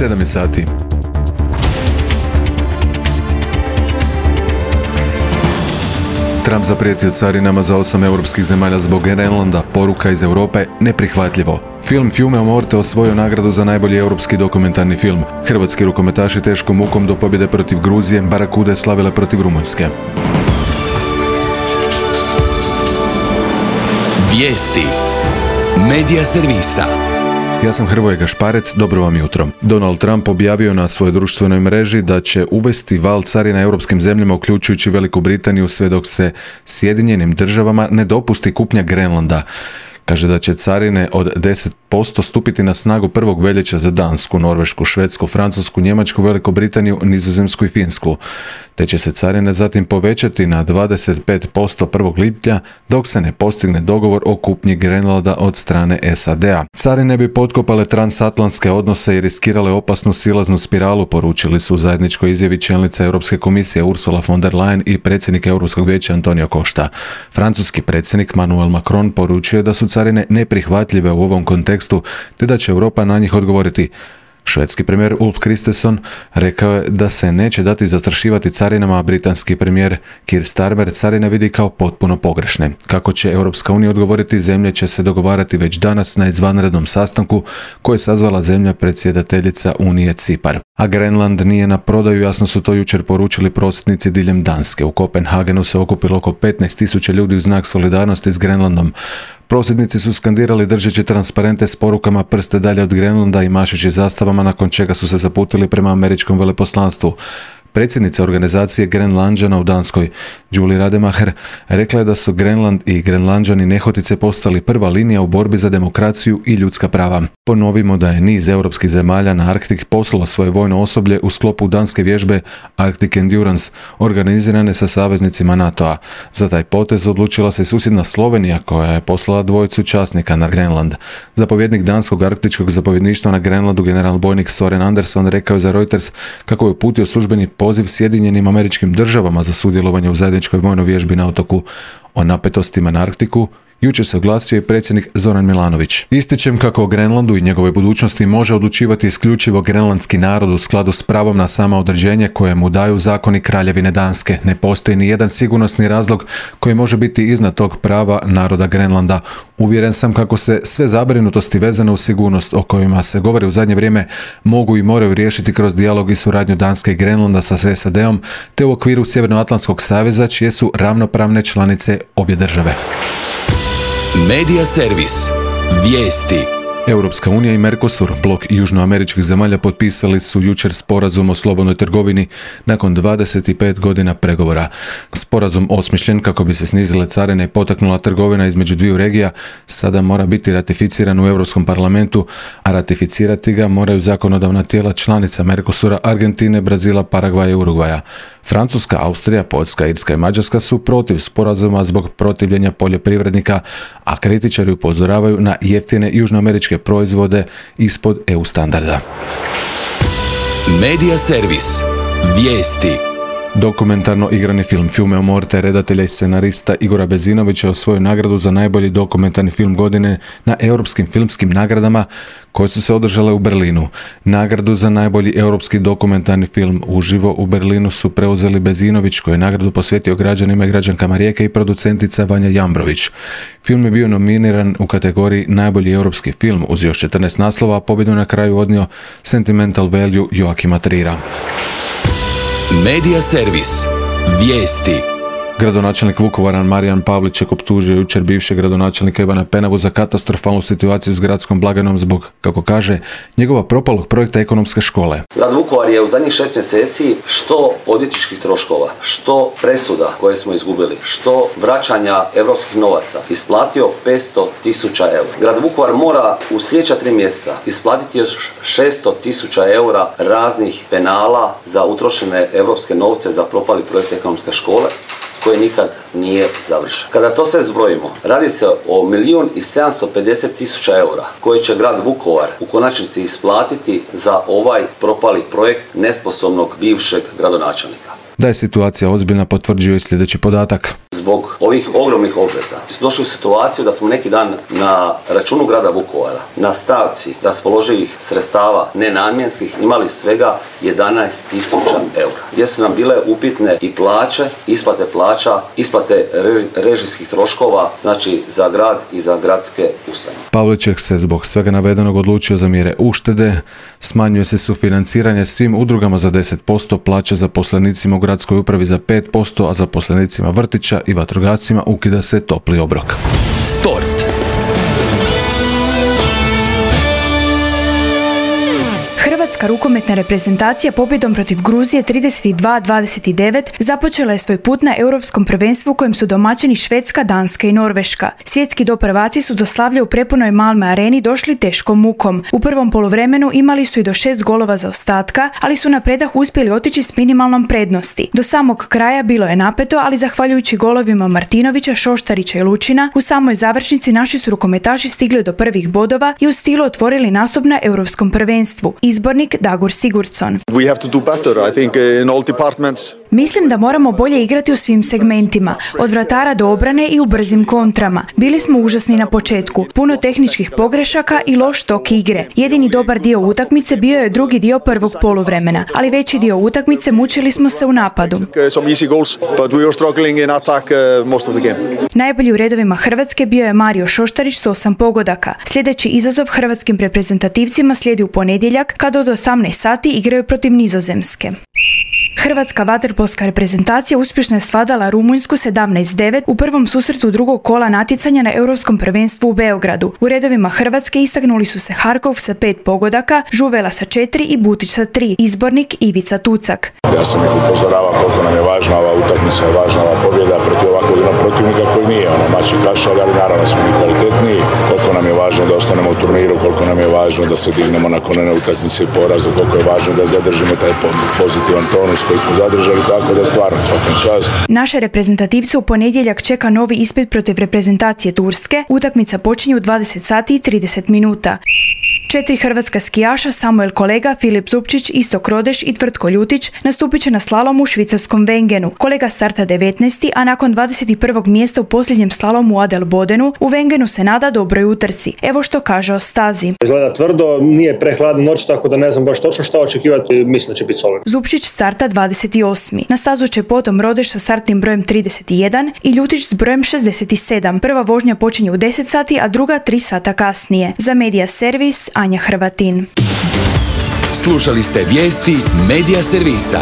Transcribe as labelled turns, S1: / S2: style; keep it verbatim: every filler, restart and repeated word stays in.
S1: sedam je sati. Trump zaprijetio carinama za osam europskih zemalja zbog Grenlanda, poruka iz Europe, neprihvatljivo. Film Fiume o Morte osvojio nagradu za najbolji europski dokumentarni film. Hrvatski rukometaši teškom mukom do pobjede protiv Gruzije, Barakude slavile protiv Rumunjske.
S2: Vijesti Medija servisa.
S1: Ja sam Hrvoje Gašparec, dobro vam jutro. Donald Trump objavio na svojoj društvenoj mreži da će uvesti val carina europskim zemljama, uključujući Veliku Britaniju, sve dok se Sjedinjenim državama ne dopusti kupnja Grenlanda. Kaže da će carine od deset posto stupiti na snagu prvog veljače za Dansku, Norvešku, Švedsku, Francusku, Njemačku, Veliku Britaniju, Nizozemsku i Finsku. Te će se carine zatim povećati na dvadeset pet posto prvog lipnja dok se ne postigne dogovor o kupnji Grenlanda od strane S A D a. Carine bi potkopale transatlantske odnose i riskirale opasnu silaznu spiralu, poručili su u zajedničkoj izjavi čelnica Europske komisije Ursula von der Leyen i predsjednik Europskog vijeća Antonio Costa. Francuski predsjednik Emmanuel Macron poručio da su carine neprihvatljive u ovom kontekstu te da će Europa na njih odgovoriti. Švedski premijer Ulf Kristersson rekao je da se neće dati zastrašivati carinama, a britanski premijer Keir Starmer carine vidi kao potpuno pogrešne. Kako će Europska unija odgovoriti, zemlje će se dogovarati već danas na izvanrednom sastanku koje je sazvala zemlja predsjedateljica Unije Cipar. A Grenland nije na prodaju, jasno su to jučer poručili prosvjednici diljem Danske. U Kopenhagenu se okupilo oko petnaest tisuća ljudi u znak solidarnosti s Grenlandom. Prosvjednici su skandirali držeći transparente s porukama "prste dalje od Grenlanda" i mašući zastavama, nakon čega su se zaputili prema američkom veleposlanstvu. Predsjednica organizacije Grenlanđana u Danskoj, Julie Rademacher, rekla je da su Grenland i Grenlanđani nehotice postali prva linija u borbi za demokraciju i ljudska prava. Ponovimo da je niz europskih zemalja na Arktik poslalo svoje vojno osoblje u sklopu danske vježbe Arctic Endurance, organizirane sa saveznicima NATO a. Za taj potez odlučila se susjedna Slovenija, koja je poslala dvojicu časnika na Grenland. Zapovjednik danskog arktičkog zapovjedništva na Grenlandu, general bojnik Soren Anderson, rekao je za Reuters kako je uputio službeni poziv Sjedinjenim Američkim Državama za sudjelovanje u zajedničkoj vojnoj vježbi na otoku. O napetostima na Arktiku jučer se oglasio i predsjednik Zoran Milanović. Ističem kako o Grenlandu i njegovoj budućnosti može odlučivati isključivo grenlandski narod u skladu s pravom na samoodređenje koje mu daju zakoni Kraljevine Danske. Ne postoji ni jedan sigurnosni razlog koji može biti iznad tog prava naroda Grenlanda. Uvjeren sam kako se sve zabrinutosti vezane u sigurnost o kojima se govori u zadnje vrijeme mogu i moraju riješiti kroz dijalog i suradnju Danske i Grenlanda sa S A D om te u okviru Sjevernoatlantskog saveza, čije su ravnopravne članice obje države.
S2: Medija servis. Vijesti.
S1: Europska unija i Mercosur, blok južnoameričkih zemalja, potpisali su jučer sporazum o slobodnoj trgovini nakon dvadeset pet godina pregovora. Sporazum, osmišljen kako bi se snizile carine i potaknula trgovina između dviju regija, sada mora biti ratificiran u Europskom parlamentu, a ratificirati ga moraju zakonodavna tijela članica Mercosura, Argentine, Brazila, Paragvaja i Urugvaja. Francuska, Austrija, Poljska, Irska i Mađarska su protiv sporazuma zbog protivljenja poljoprivrednika, a kritičari upozoravaju na jeftine južnoameričke proizvode ispod E U standarda.
S2: Medija servis. Vijesti.
S1: Dokumentarno igrani film Fiume o Morte redatelja i scenarista Igora Bezinovića osvojio nagradu za najbolji dokumentarni film godine na europskim filmskim nagradama koje su se održale u Berlinu. Nagradu za najbolji europski dokumentarni film uživo u Berlinu su preuzeli Bezinović, koji je nagradu posvetio građanima i građankama Rijeke, i producentica Vanja Jambrović. Film je bio nominiran u kategoriji najbolji europski film uz još četrnaest naslova, a pobjedu na kraju odnio Sentimental Value Joakima Trira.
S2: Medija servis. Vijesti.
S1: Gradonačelnik Vukovara Marijan Pavliček optužio jučer bivšeg gradonačelnika Ivana Penavu za katastrofalnu situaciju s gradskom blagajnom zbog, kako kaže, njegova propalog projekta ekonomske škole.
S3: Grad Vukovar je u zadnjih šest mjeseci što odvjetničkih troškova, što presuda koje smo izgubili, što vraćanja europskih novaca isplatio petsto tisuća eura. Grad Vukovar mora u sljedeća tri mjeseca isplatiti još šesto tisuća eura raznih penala za utrošene europske novce za propali projekt ekonomske škole, koje nikad nije završen. Kada to sve zbrojimo, radi se o milijun i sedamsto pedeset tisuća eura koje će grad Vukovar u konačnici isplatiti za ovaj propali projekt nesposobnog bivšeg gradonačelnika.
S1: Da je situacija ozbiljna potvrđuje i sljedeći podatak.
S3: zbog ovih ogromnih obveza došli u situaciju da smo neki dan na računu grada Vukovara, na stavci raspoloživih sredstava nenamjenskih imali svega jedanaest tisuća eura, gdje su nam bile upitne i plaće, isplate plaća, isplate režijskih troškova, znači za grad i za gradske ustanove.
S1: Pavliček se zbog svega navedenog odlučio za mjere uštede, smanjuje se sufinanciranje svim udrugama za deset posto, plaća zaposlenicima u gradskoj upravi za pet posto, a zaposlenicima vrtića i vatrogascima ukida se topli obrok.
S2: Sport.
S4: Hrvatska rukometna reprezentacija pobjedom protiv Gruzije trideset dva dvadeset devet započela je svoj put na europskom prvenstvu kojem su domaćini Švedska, Danska i Norveška. Svjetski doprvaci su do slavlja u prepunoj Malmö areni došli teškom mukom. U prvom poluvremenu imali su i do šest golova zaostatka, ali su na predah uspjeli otići s minimalnom prednosti. Do samog kraja bilo je napeto, ali zahvaljujući golovima Martinovića, Šoštarića i Lučina, u samoj završnici naši su rukometaši stigli do prvih bodova i u stilu otvorili nastup na europskom prvenstvu. Izbornik Dagur Sigurdsson.
S5: We have to do better, I think, in all departments.
S4: Mislim da moramo bolje igrati u svim segmentima, od vratara do obrane i u brzim kontrama. Bili smo užasni na početku, puno tehničkih pogrešaka i loš tok igre. Jedini dobar dio utakmice bio je drugi dio prvog poluvremena, ali veći dio utakmice mučili smo se u napadu. Najbolji u redovima Hrvatske bio je Mario Šoštarić s osam pogodaka. Sljedeći izazov hrvatskim reprezentativcima slijedi u ponedjeljak kada od osamnaest sati igraju protiv Nizozemske. Hrvatska vaterpolska reprezentacija uspješno je svladala Rumunjsku sedamnaest devet u prvom susretu drugog kola natjecanja na Europskom prvenstvu u Beogradu. U redovima Hrvatske istaknuli su se Harkov sa pet pogodaka, Žuvela sa četiri i Butić sa tri, izbornik Ivica Tucak.
S6: Ja sam ih upozoravao koliko nam je važna ova utakmica, je važna ova pobjeda protiv ovakvog jednog protivnika koji nije ono mač i kašalj, ali naravno smo mi kvalitetniji. Koliko nam je važno da ostanemo u turniru, koliko nam je važno da se dignemo nakon one utakmice i poraza, koliko je važno da zadržimo taj pozitivan tonus koji smo zadržali, tako da stvarno svakim čast.
S4: Naše reprezentativce u ponedjeljak čeka novi ispit protiv reprezentacije Turske. Utakmica počinje u dvadeset sati i trideset minuta. Četiri hrvatska skijaša, Samuel Kolega, Filip Zupčić, Istok Rodeš i Tvrtko Ljutić, nastupit će na slalomu u švicarskom Wengenu. Kolega starta devetnaesti, a nakon dvadeset prvog mjesta u posljednjem slalomu u Adelbodenu, u Wengenu se nada dobroj utrci. Evo što kaže o stazi.
S7: Izgleda tvrdo, nije prehladna noć, tako da ne znam baš točno šta očekivati, mislim da će biti solidno.
S4: Zupčić starta dvadeset osmi. Na stazu će potom Rodeš sa startnim brojem trideset jedan i Ljutić s brojem šezdeset sedam. Prva vožnja počinje u deset sati, a druga tri sata kasnije. Za Media Servis, Anja Hrvatin.
S2: Slušali ste vijesti Media Servisa.